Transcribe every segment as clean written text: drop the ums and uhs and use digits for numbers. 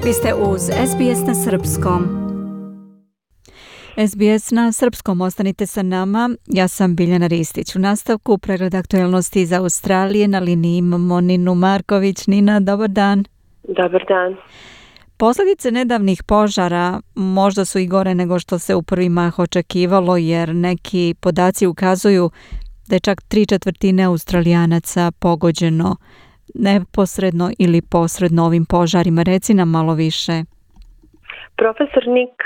Vi ste uz SBS na Srpskom. SBS na Srpskom, ostanite sa nama. Ja sam Biljana Ristić. U nastavku pregled aktuelnosti iz Australije. Na liniji imamo Ninu Marković. Nina, dobar dan. Dobar dan. Posljedice nedavnih požara možda su i gore nego što se u prvi mah očekivalo, jer neki podaci ukazuju da je čak 3/4 Australijanaca pogođeno neposredno ili posredno ovim požarima. Reci nam malo više. Profesor Nick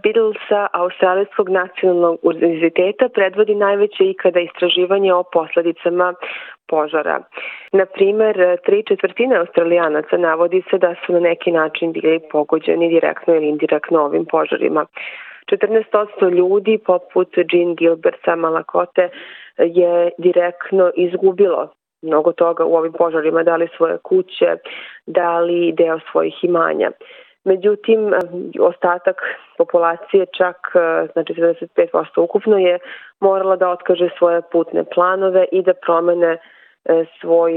Biddle sa Australijskog nacionalnog univerziteta predvodi najveće ikada istraživanje o posljedicama požara. Na primer, 3/4 Australijanaca navodi se da su na neki način bili pogođeni direktno ili indirektno ovim požarima. 14% ljudi, poput Jean Gilbert sa Malakote, je direktno izgubilo mnogo toga u ovim požarima, dali svoje kuće, dali deo svojih imanja. Međutim, ostatak populacije, čak znači 75% ukupno, je morala da otkaže svoje putne planove i da promene svoj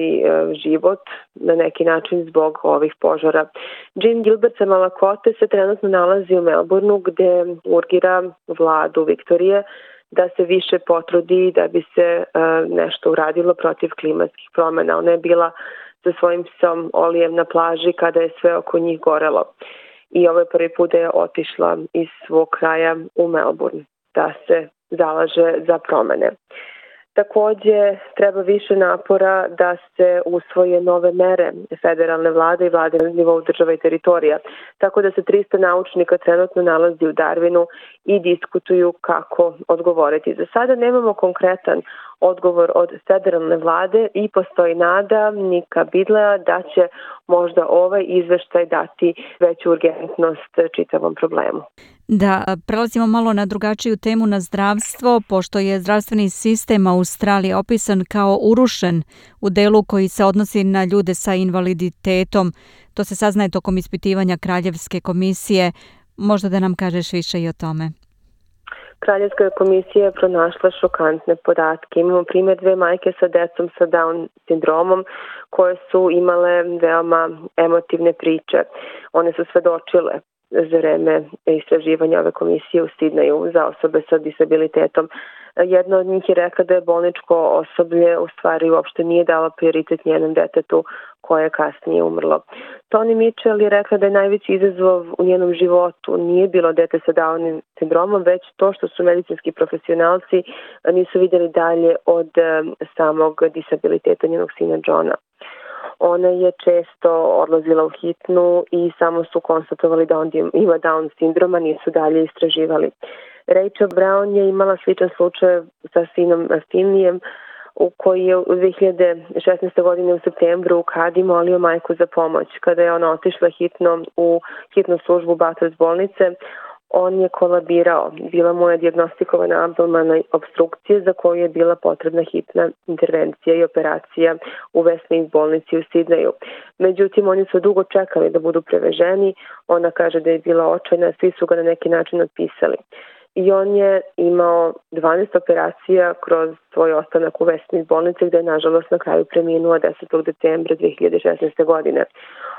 život na neki način zbog ovih požara. Jean Gilbert sa Malakote se trenutno nalazi u Melbourneu, gde urgira vladu Viktorije da se više potrudi da bi se nešto uradilo protiv klimatskih promjena. Ona je bila sa svojim psom Olijem na plaži kada je sve oko njih gorelo. I ovo je prvi put da je otišla iz svog kraja u Melbourne da se zalaže za promjene. Također treba više napora da se usvoje nove mere federalne vlade i vlade na nivou država i teritorija. Tako da se 300 naučnika trenutno nalazi u Darwinu i diskutuju kako odgovoriti. Za sada nemamo konkretan odgovor od federalne vlade i postoji nada Nicka Biddlea da će možda ovaj izveštaj dati veću urgentnost čitavom problemu. Da, prelazimo malo na drugačiju temu, na zdravstvo, pošto je zdravstveni sistem Australije opisan kao urušen u delu koji se odnosi na ljude sa invaliditetom. To se saznaje tokom ispitivanja Kraljevske komisije. Možda da nam kažeš više i o tome. Kraljevska komisija je pronašla šokantne podatke. Imamo primjer 2 majke sa decom sa Down sindromom koje su imale veoma emotivne priče. One su svedočile za vreme istraživanja ove komisije u Sidneju za osobe sa disabilitetom. Jedna od njih je rekla da je bolničko osoblje u stvari uopšte nije dalo prioritet njenom detetu koje je kasnije umrlo. Toni Mitchell je rekla da je najveći izazov u njenom životu nije bilo dete sa Downovim sindromom, već to što su medicinski profesionalci nisu vidjeli dalje od samog disabiliteta njenog sina Johna. Ona je često odlazila u hitnu i samo su konstatovali da on ima Down sindroma, nisu dalje istraživali. Rachel Brown je imala sličan slučaj sa sinom Finlijem, u koji je u 2016. godine u septembru u Kadi molio majku za pomoć. Kada je ona otišla hitno u hitnu službu Bathurst bolnice, on je kolabirao. Bila mu je dijagnostikovana abdominalna opstrukcija za koju je bila potrebna hitna intervencija i operacija u Westmead bolnici u Sidneju. Međutim, oni su dugo čekali da budu preveženi. Ona kaže da je bila očajna, svi su ga na neki način otpisali. I on je imao 12 operacija kroz svoj ostanak u Westmead bolnici, gde je nažalost na kraju preminuo 10. decembra 2016. godine.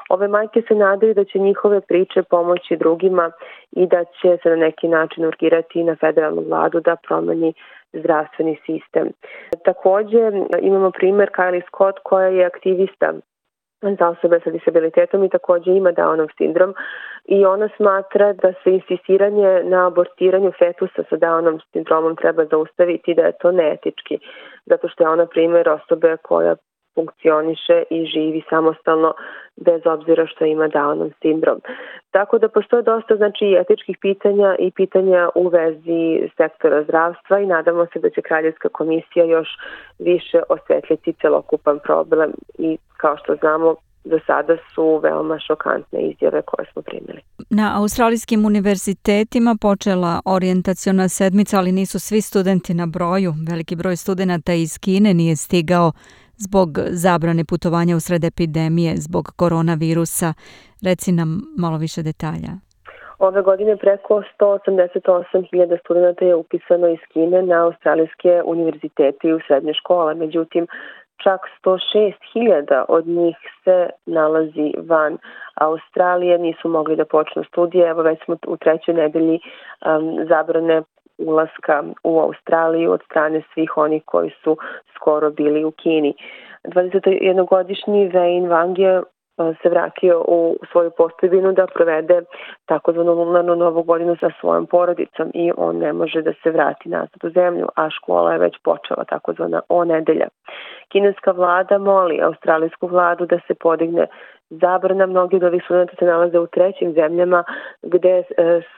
Ove majke se nadaju da će njihove priče pomoći drugima i da će se na neki način urgirati na federalnu vladu da promeni zdravstveni sistem. Također imamo primjer Kylie Scott koja je aktivista za osobe sa disabilitetom i također ima Downov sindrom i ona smatra da se insistiranje na abortiranju fetusa sa Downov sindromom treba zaustaviti, da je to neetički, zato što je ona primjer osobe koja funkcioniše i živi samostalno bez obzira što ima Downov sindrom. Tako da postoje dosta etičkih pitanja i pitanja u vezi sektora zdravstva i nadamo se da će Kraljevska komisija još više osvetljiti celokupan problem i kao što znamo do sada su veoma šokantne izjave koje smo primili. Na australijskim univerzitetima počela orijentaciona sedmica, ali nisu svi studenti na broju. Veliki broj studenata iz Kine nije stigao zbog zabrane putovanja usred epidemije, zbog koronavirusa. Reci nam malo više detalja. Ove godine preko 188.000 studenta je upisano iz Kine na australijske univerzitete i u srednje škole. Međutim, čak 106.000 od njih se nalazi van Australije, nisu mogli da počnu studije. Evo već smo u 3. nedelji zabrane ulaska u Australiju od strane svih onih koji su skoro bili u Kini. 21-godišnji Wayne Wang je se vratio u svoju postojbinu da provede takozvanu lunarnu novu godinu sa svojom porodicom i on ne može da se vrati nazad u zemlju, a škola je već počela, takozvana nedelja. Kineska vlada moli australijsku vladu da se podigne zabrana. Mnogi od ovih studenta se nalaze u 3. zemljama gde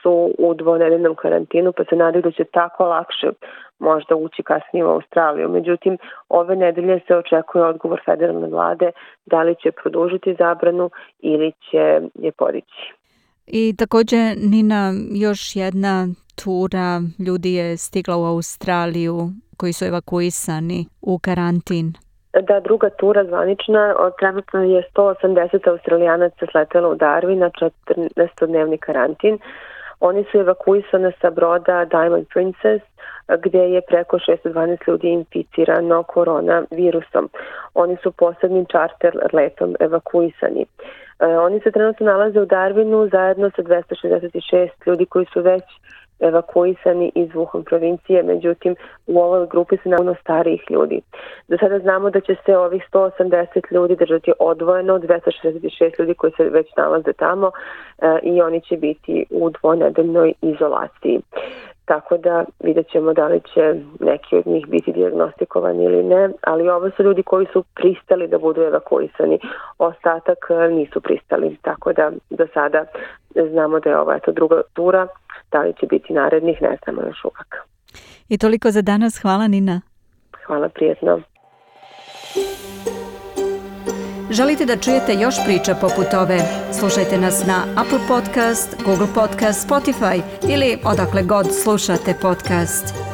su u 2-nedeljnom karantinu, pa se nadaju da će tako lakše možda ući kasnije u Australiju. Međutim, ove nedelje se očekuje odgovor federalne vlade da li će produžiti zabranu ili će je podići. I također, Nina, još jedna tura ljudi je stigla u Australiju koji su evakuisani u karantin. Da, druga tura zvanična, trenutno je 180 Australijanaca sletelo u Darwin na 14-dnevni karantin. Oni su evakuisani sa broda Diamond Princess, gde je preko 612 ljudi inficirano koronavirusom. Oni su posebnim čarter letom evakuisani. Oni se trenutno nalaze u Darwinu zajedno sa 266 ljudi koji su već evakuisani iz Wuhan provincije, međutim u ovoj grupi se nalaze starijih ljudi. Do sada znamo da će se ovih 180 ljudi držati odvojeno, 266 ljudi koji se već nalaze tamo i oni će biti u 2-nedeljnoj izolaciji. Tako da vidjet ćemo da li će neki od njih biti dijagnostikovani ili ne, ali ovo su ljudi koji su pristali da budu evakuisani. Ostatak nisu pristali, tako da do sada znamo da je ovo druga tura, da li će biti narednih, ne znamo još uvijek. I toliko za danas. Hvala, Nina. Hvala, prijetno. Želite da čujete još priča poput ove? Slušajte nas na Apple Podcast, Google Podcast, Spotify ili odakle god slušate podcast.